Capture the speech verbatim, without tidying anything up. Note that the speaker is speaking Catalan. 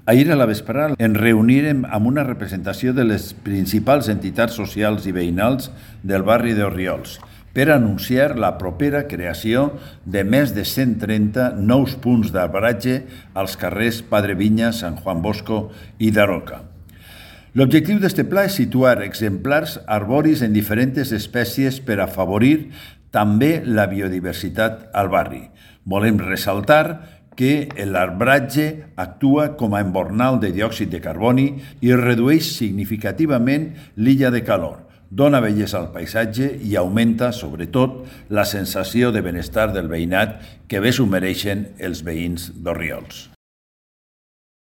Ahir a la vesprada ens reunirem amb una representació de les principals entitats socials i veïnals del barri d'Orriols per anunciar la propera creació de més de cent trenta nous punts d'arbratge als carrers Padre Viña, Sant Juan Bosco i Daroca. L'objectiu d'aquest pla és situar exemplars arboris en diferents espècies per afavorir també la biodiversitat al barri. Volem ressaltar que l'arbratge actua com a embornal de diòxid de carboni i redueix significativament l'illa de calor, dona bellesa al paisatge i augmenta, sobretot, la sensació de benestar del veïnat que bé s'ho mereixen els veïns d'Orriols.